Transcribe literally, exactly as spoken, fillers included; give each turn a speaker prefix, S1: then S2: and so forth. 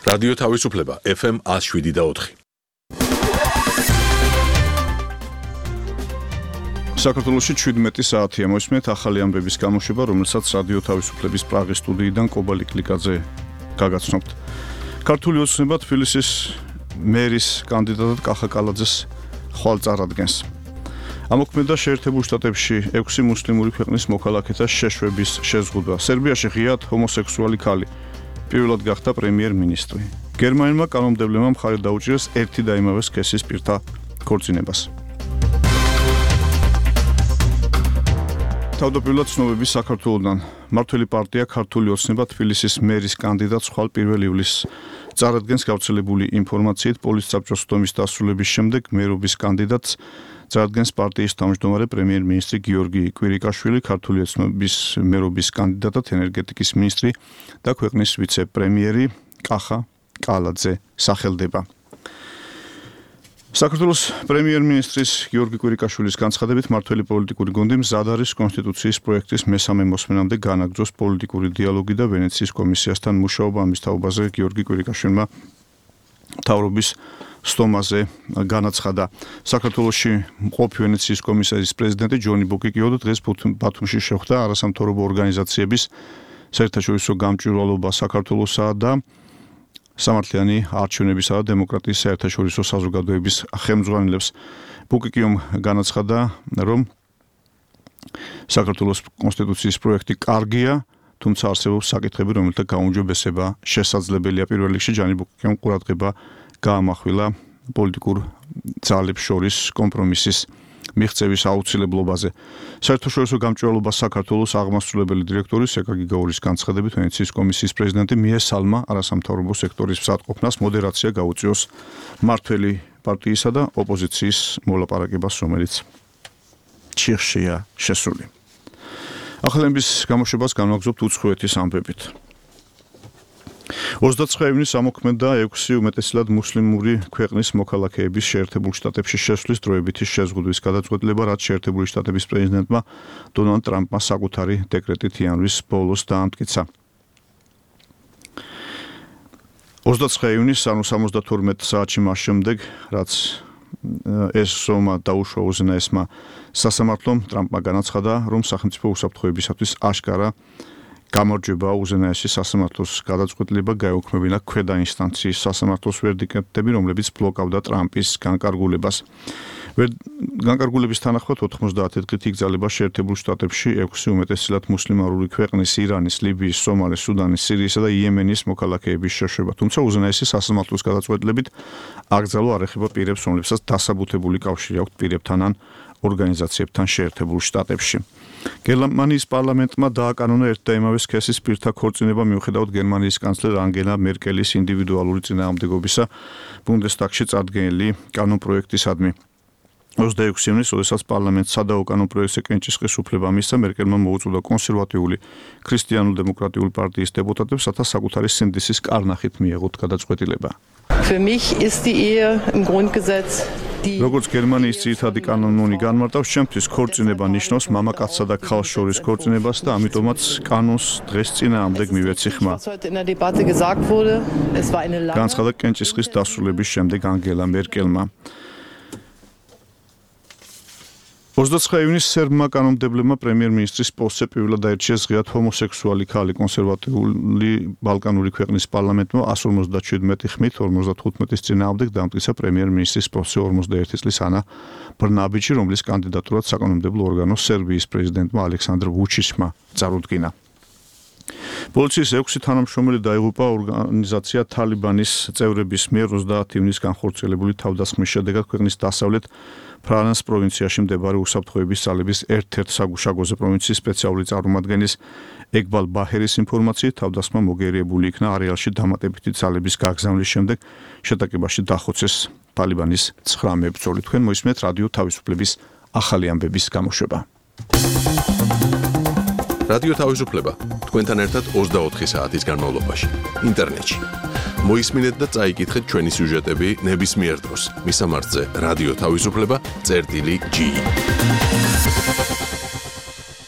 S1: რადიო თავისუფლება ეფ ემ one oh seven და four.
S2: საქართველოში შვიდმეტი საათია მოსმენთ ახალი ამბების გამოშვება, რომელსაც რადიო თავისუფლების პრაღის სტუდიიდან კობალი კლიკაძე გაგაცნობთ. ქართული ოცნება თბილისის მერის კანდიდატად კახა კალაძეს ხვალ წარადგენს. ამოქმედა შეერთებულ შტატებში ექვსი მუსლიმური ქვეყნის მოქალაქეთა შეშვების შეზღუდვა. სერბიაში ღიად ჰომოსექსუალი ქალი პირველად გახდა პრემიერ-მინისტრი. გერმანელმა კანონმდებლებმა მხარი დაუჭირეს ერთი და იმავე სქესის პირთა ქორწინებას. თავდაპირველად ცნობები საქართველოდან. მმართველი პარტია ქართული ოცნება თბილისის მერის კანდიდატს ხვალ პირველ ივლისს წარადგენს. გავრცელებული ინფორმაციით პოლიტსაბჭოს სხდომის დასრულების შემდეგ მერობის კანდიდატს წარადგენს პარტიის თავმჯდომარე პრემიერ-მინისტრი გიორგი კვირიკაშვილი, ქართული ოცნების მერობის კანდიდატად ენერგეტიკის მინისტრი და ქვეყნის ვიცე-პრემიერი კახა კალაძე სახელდება. საქართველოს პრემიერ-მინისტრის გიორგი კვირიკაშვილის განცხადებით, მმართველი პოლიტიკური გუნდი მზად არის კონსტიტუციის პროექტის მესამე მოსმენამდე განაგრძოს პოლიტიკური დიალოგი და ვენეციის კომისიასთან მუშაობა. ამის თაობაზე გიორგი კვირიკაშვილმა მთავრობის სტომაზე განაცხადა. საქართველოში მყოფი ვენეციის კომისიის პრეზიდენტი ჯონი ბოკიკიო დღეს ბათუმში შეხვდა არასამთავრობო ორგანიზაციების საერთაშორისო გამჭვირვალობა საქართველოსა და სამართლიანი არჩევნებისა და დემოკრატიის საერთაშორისო საზოგადოების ხელმძღვანელებს. ბუკიკიომ განაცხადა, რომ საქართველოს კონსტიტუციის პროექტი კარგია, თუმცა არსებობს საკითხები, რომელთა გაუმჯობესება შესაძლებელია. პირველ რიგში ჯანი ბუკიკიომ ყურადღება გაამახვილა პოლიტიკურ ძალებს შორის კომპრომისის მიღწევის აუცილებლობაზე. საერთაშორისო გამჭვირვალობა საქართველოს აღმასრულებელი დირექტორი სეკაგი გაურის განცხადებით, ვენეციის კომისიის პრეზიდენტი მიესალმა არასამთავრობო სექტორის მსაჯყოფნას მოდერაცია გაუწიოს მმართველი პარტიისა და ოპოზიციის მოლაპარაკებას, რომელიც ჩიხშია შესული. ახალების გამოშვებას განვაგრძობთ უცხოეთის ამბებით. ოცდაათი ივნისს ამოქმედა ექვსი უმეტესად მუსლიმური ქვეყნის მოქალაქეების შეერთებულ შტატებში შესვლის დროებითი შეზღუდვის გადაწყვეტილება, რაც შეერთებული შტატების პრეზიდენტმა დონალდ ტრამპმა საკუთარი დეკრეტით იანვრის ბოლოს დაამტკიცა. ოცდაათი ივნისს, ანუ სამოცდათორმეტ საათში მას შემდეგ, რაც ეს ზომა დაუშვა უზენაესმა სასამართლომ, ტრამპმა განაცხადა, რომ სახელმწიფო უსაფრთხოებისათვის აშკარა გამარჯვება უზენაესი სასამართლოს გადაწყვეტილება გაეუქმებინა ქვედა ინსტანციის სასამართლოს ვერდიქტები, რომლებიც ბლოკავდა ტრამპის განკარგულებას. განკარგულების თანახმად ოთხმოცდაათი დღით იგზავნება შეერთებულ შტატებში ექვსი უმეტესად მუსლიმური ქვეყნის ირანის, ლიბიის, სომალის, სუდანის, სირიისა და იემენის მოქალაქეების შეშვება. თუმცა უზენაესი სასამართლოს გადაწყვეტილებით აკრძალვა არ ეხება პირებს, რომლებსაც დასაბუთებული კავშირი აქვთ პირებთან ან ორგანიზაციებთან შეერთებულ შტატებში. გერმანიის პარლამენტმა დააკანონა ერთ და იმავე სქესის პირთა ქორწინება მიუხედავად გერმანიის კანცლერ ანგელა მერკელის ინდივიდუალური წინააღმდეგობისა ბუნდესტაგში წარდგენილი კანონპროექტისადმი. ოცდაექვსი ივნისს, როდესაც პარლამენტს სადაო კანონპროექტზე კენჭისყრის უფლება მისცა, მერკელმა მოუწოდა კონსერვატიული ქრისტიანულ-დემოკრატიული პარტიის დეპუტატებს, რათა საკუთარი სინდისის კარნახით მიეღოთ გადაწყვეტილება.
S3: Für mich ist die Ehe im Grundgesetz die
S2: როგორც გერმანიის ძირითადი კანონი განმარტავს, ჩემთვის ქორწინება ნიშნავს მამაკაცსა და ქალს შორის ქორწინებას და ამიტომაც კანონს დღეს წინააღმდეგ მივეცი ხმა. განაცხადა კენჭისყრის დასრულების შემდეგ ანგელა მერკელმა. ოცდაათი ივნისს სერბმა კანონმდებლებმა პრემიერ-მინისტრის პოსტზე პირველად აირჩიეს ღიად ჰომოსექსუალი ქალი. კონსერვატიული ბალკანური ქვეყნის პარლამენტმა one forty-seven ხმით forty-five-ის წინააღმდეგ დამტკიცა პრემიერ-მინისტრის პოსტზე forty-one წლის ანა ბრნაბიჩი, რომლის კანდიდატურად საკანონმდებლო ორგანოს სერბიის პრეზიდენტმა ალექსანდრ ვუჩიჩმა წარუდგინა. პოლიციის ექვსი თანამშრომელი დაიღუპა ორგანიზაცია თალიბანის წევრების მიერ ოცდაათი ივნისს განხორციელებული თავდასხმის შედეგად ქვეყნის დასავლეთ ფრანს პროვინციაში მდებარე უსაფრთხოების ძალების ერთ-ერთ საგუშაგოზე პროვინციის სპეციალური წარმომადგენლის ეგბალ ბაჰერის ინფორმაციით თავდასხმა მოგერიებული იქნა არეალში დამატებითი ძალების გაგზავნის შემდეგ შეტაკებაში დახოცეს თალიბანის ცხრა მებრძოლი. თქვენ მოისმენთ რადიო თავისუფლების ახალი ამბების გამოშვება.
S1: რადიო თავისუფლება თქვენთან ერთად ოცდაოთხი საათის განმავლობაში ინტერნეტში. მოისმინეთ და წაიკითხეთ ჩვენი სიუჟეტები ნებისმიერ დროს. მისამართზე რადიო თავისუფლება წერტილი ჯი.